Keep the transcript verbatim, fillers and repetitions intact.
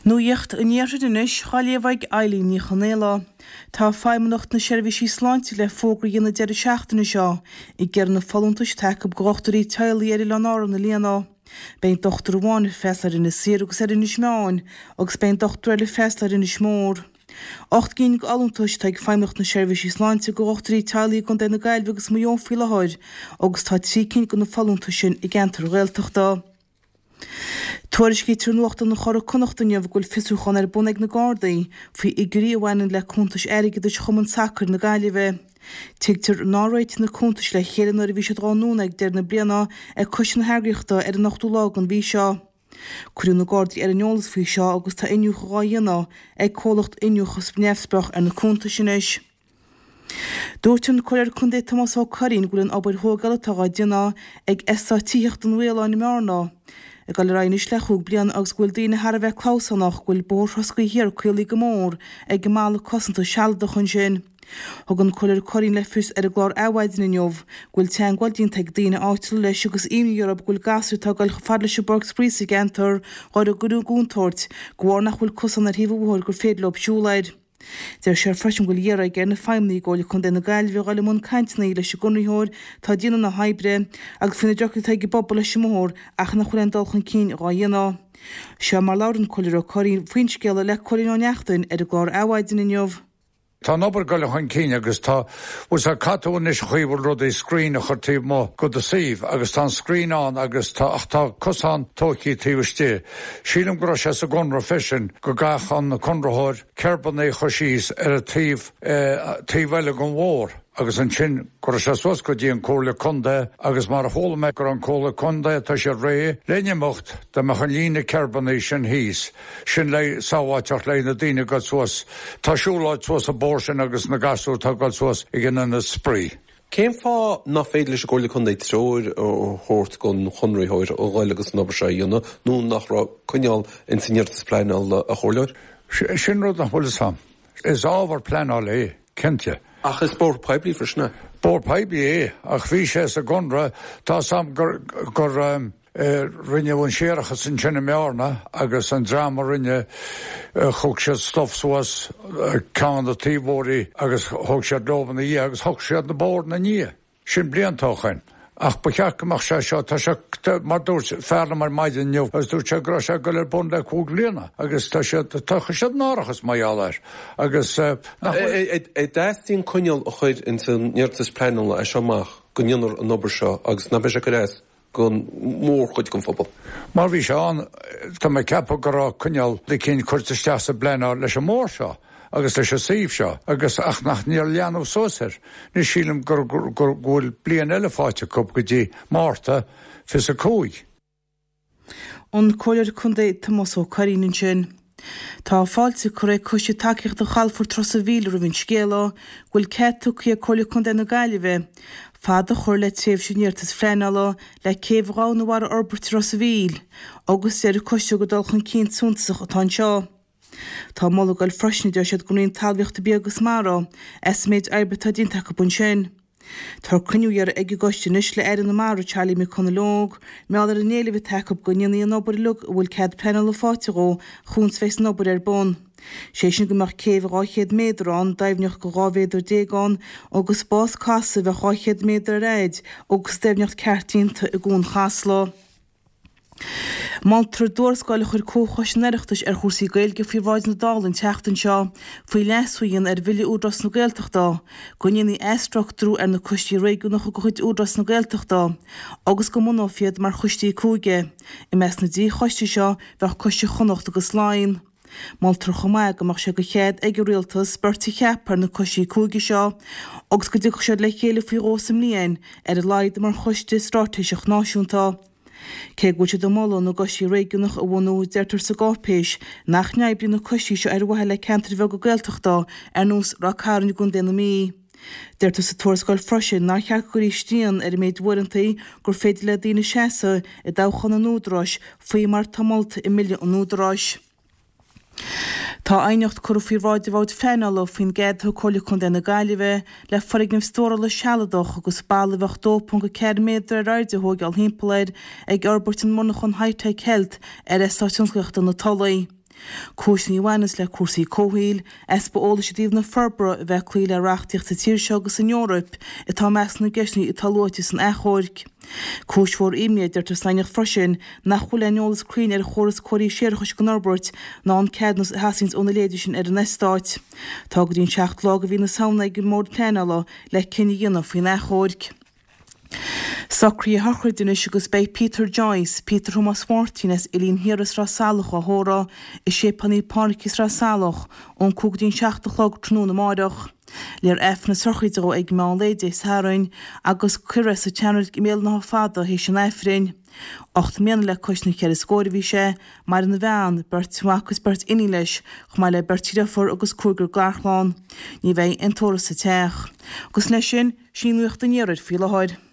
Nuacht an Iarthair anois, á léamh ag Eileen Ní Chonaola. Tá Feidhmeannacht na Seirbhísí Sláinte le fógra a dhéanamh deireadh seachtaine seo ag iarraidh na folúntais atá acu do dhochtúirí teaghlaigh ar Oileáin Árann a líonadh. Beidh dochtúir amháin ag freastal ar Inis Oírr agus ar Inis Meáin agus beidh dochtúir eile ag freastal ar Inis Mór. Ocht gcinn d'fholúntais atá ag Feidhmeannacht na Seirbhísí Sláinte do dhochtúirí teaghlaigh i gContae na Gaillimhe agus Maigh Eo faoi láthair agus tá trí cinn de na folúntais sin i gceantar Ghaeltachta. Tuairiscítear i Nuachtán an Churraigh Connacht inniu go bhfuil fiosrúchán ar bun ag na Gardaí faoi fhigiúirí a bhaineann le cuntais airgeadais Chumann Sacair na Gaillimhe. Tuigtear nár réitigh na cuntais le chéile nuair a bhí siad á ndúnadh ag deireadh na bliana ag coiste na heagraíochta ar an ochtú lá den mhí seo. Cuireadh na Gardaí ar an eolas faoi seo agus tá iniúchadh á dhéanamh ag comhlacht iniúchadh neamhspleách ar na cuntais anois. Dúirt an Comhairleoir Contae Tomás Ó Curraoin go bhfuil an obair thógála atá á déanamh ag Eastát Tithíochta an Mhaoláin i mBearna ag dul ar aghaidh anois le cúig bliana agus go bhfuil daoine thar a bheith clamhsánach go bhfuil Bóthar Throscaí Thiar caolaithe go mór ag an mballa cosanta sealadach ansin. Thug an Comhairleoir Curraoin le fios ar an gclár Adhmhaidin inniu go bhfuil teagmháil déanta ag daoine áitiúla leis agus imní orthu go bhfuil gasúir atá ag dul chomh fada leis an bpáirc spraoi sa gceantar á gcur i gcontúirt de bharr nach bhfuil cosán ar thaobh an bhóthair gur féidir leo siúl air. Deir sé freisin go bhfuil iarrtha aige ar na feidhmeannaigh i gComhairle Contae na Gaillimhe a dhul i mbun cainteanna leis an gconraitheoir atá ag déanamh na hoibre agus faoi na deacrachtaí atá ag an bpobal leis an mbóthar ach nach bhfuil aon dul chun cinn dhá dhéanamh. Seo mar labhair an Comhairleoir Ó Curraoin faoin scéal le Cóilín Ó Neachtain ar an gclár Adhmhaidin inniu. Tá an obair ag dul chun cinn agus tá bhfuil sé caithfidh tú anois an chaoi a bhfuil rudaí screen a chur taobh amuigh de do suíomh agus tá an screen ann agus tá ach tá cosán tógtha taobh istigh. Sílim go raibh sé sa gconradh freisin go gcaithfeadh an conraitheoir kerbanna a chur síos ar an taobh taobh eile den bhóthar agus ansin go raibh sé suas go dtí an Comhairle Contae agus mar a chuala mé go raibh an Comhairle Contae tá sé réidh le n-imeacht dá mbeadh an líne kerbanna sin thíos sin le sábháilteacht le na daoine ag dul suas tá siúlóid suas an bóthar sin agus na gasúir atá ag dul suas ag an ionad spraoi. Cén fáth nach féidir leis an gComhairle Contae treoir a thabhairt don chonraitheoir a dhul agus an obair seo a dhéanamh nó nach raibh coinníoll in san iarratas pleanála a chomhairleoir? Sin rud nach bhfuil fhios a'm. Is ábhar pleanála é, cinnte. Ach is bóthar poiblí freisin é. Bóthar poiblí é, ach bhí sé sa gconradh tá sam gur gur um, rinneadh an séarachas ansin i mBearna agus an dream a rinne thug siad stuif suas ceann na taobhóirí agus thug siad leo ina dhiaidh agus thug siad na bóthar ina ndiaidh. Sin blianta ó shin. Ach ba cheart go mbeadh sé seo tá sé mar dúirt fear liom ar maidin inniu agus dúirt sé go raibh sé ag dul ar bun le cúig bliana agus tá siad tá siad náireach mar gheall air agus nach bhfuil An dteastaíonn coinníoll a chur in san iarratas pleanála é seo amach go ndéanfar an obair seo agus nach mbeidh sé ag cur as don mhórchuid den phobal. Mar bhí sé ann tá mé ag ceapadh go raibh coinníoll eicínt curtha isteach sa bpleanáil leis an mbóthar seo agus leis an suíomh seo agus ach nach níor leanadh suas air. Ní sílim gur gur go bhfuil bliain eile faighte acu go dtí Márta fiche a cúig. An Comhairleoir Contae Tomás Ó Curraoin ansin. Tá fáilte curtha ag Coiste Tacaíochta Chalafort Ros an Mhíl roimh an scéala go bhfuil cead tugtha ag Comhairle Contae na Gaillimhe fad a chur le tréimhse an iarratais phleanála le céibh dhomhain mhara a fhorbairt i Ros an Mhíl agus deir an coiste gur dul chun cinn suntasach atá anseo. Tá moladh ag goil freisin deir siad don Roinn Talmhaíochta Bia agus Mara as an méid oibre atá déanta acu ansin. Tá cruinniú iarrtha ag an gcoiste anois le Aire na Mara Charlie McConalogue, mar gheall ar an éileamh atá acu go ndéanfaí an obair uilig a bhfuil cead pleanála faighte dhó chúns bheith san obair ar bun. Sé sin go mbeadh céibh dhá chéad méadar ann, doimhneacht go dhá mhéadar déag ann, agus spás casadh a bheadh dhá chéad méadar ar fhaid agus doimhneacht ceart déanta i gCuan Chasla. Moltar i dtuarascáil a chuir Comhchoiste an Oireachtais ar chúrsaí Gaeilge faoi bhráid na Dála an tseachtain seo faoi leasú a dhéanamh ar Bhille Údarás na Gaeltachta go ndéanfaí athstruchtúrú ar na coistí réigiúnacha de chuid Údarás na Gaeltachta agus go mbunófaí iad mar choistí cúige. I measc na dtrí choiste seo bheadh Coiste Chonnacht agus Laighean. Moltar chomh maith go mbeadh sé de chead ag an rialtas beirt a cheapadh ar na coistí cúige seo agus go dtiocfadh siad le chéile faoi dhó sa mbliain ar a laghad mar choiste straitéiseach náisiúnta. Cé go bhfuil siad ag moladh na gcoistí réigiúnach a bhunú deirtear sa gcáipéis nach n-oibríonn na coistí seo ar mhaithe le ceantair bheaga Gaeltachta ar nós Ráth Cairn i gContae na Mí. Deirtear sa tuarascáil freisin nár cheart go gcuirfí srian ar an méid uaireanta gur féidir le daoine seasamh i dtoghchán an Údaráis faoi mar atá molta i mBille an Údaráis. Tá aighneacht curtha faoi bhráid an Bhoird Phleanála faoin gcead a thug Comhairle Contae na Gaillimhe le foirgneamh stórála sealadach agus balla a bheadh dó ponc a ceathair méadar ar airde a thógáil thimpeall air ag fhorbairt an mhonarchan High Tech Health ar Eastát Tionsclaíochta na Tulaí. Cúiseanna a bhaineanns le cúrsaí comhshaoil, easpa eolais i dtaobh na forbartha a bheith ag cloí le reachtaíocht sa tír seo agus san Eoraip atá i measc na gceisteanna atá luaite san achomharc. Cúis mhór imní, a deirtear san aighneacht freisin, nach bhfuil aon eolas cruinn ar chóras comharthaí séarachais gan fhorbairt ná an ceadúnas a theastaíonns óna leithéidí sin ar an eastát. Tá go dtí an seachtú lá de mhí na Samhna ag an mBord Pleanála le cinneadh a dhéanamh faoin achomharc. Socruithe a shochraide anois agus beidh Peter Joyce, Peter Thomas Mháirtín as Oileán Thiar i Sraith Salach á thórramh i Séipéal Naomh Pádraig i Sraith Salach ón cúig go dtí an seacht a chlog tráthnóna amáireach. Léifear Aifreann na sochraide dhó ag meán lae Dé Sathairn agus cuirfear é sa tseanreilig i mBéal an Átha Fada théis an Aifrinn. Ocht mbliana le cois na ceithre scóir a bhí sé, maireann a bhean, beirt mhac agus beirt iníon leis, chomh maith le beirt dheirfiúr agus cúigear garchlann. Ní bheidh aon tórramh sa teach. Agus leis sin, sin í nuacht an iarthair faoi láthair.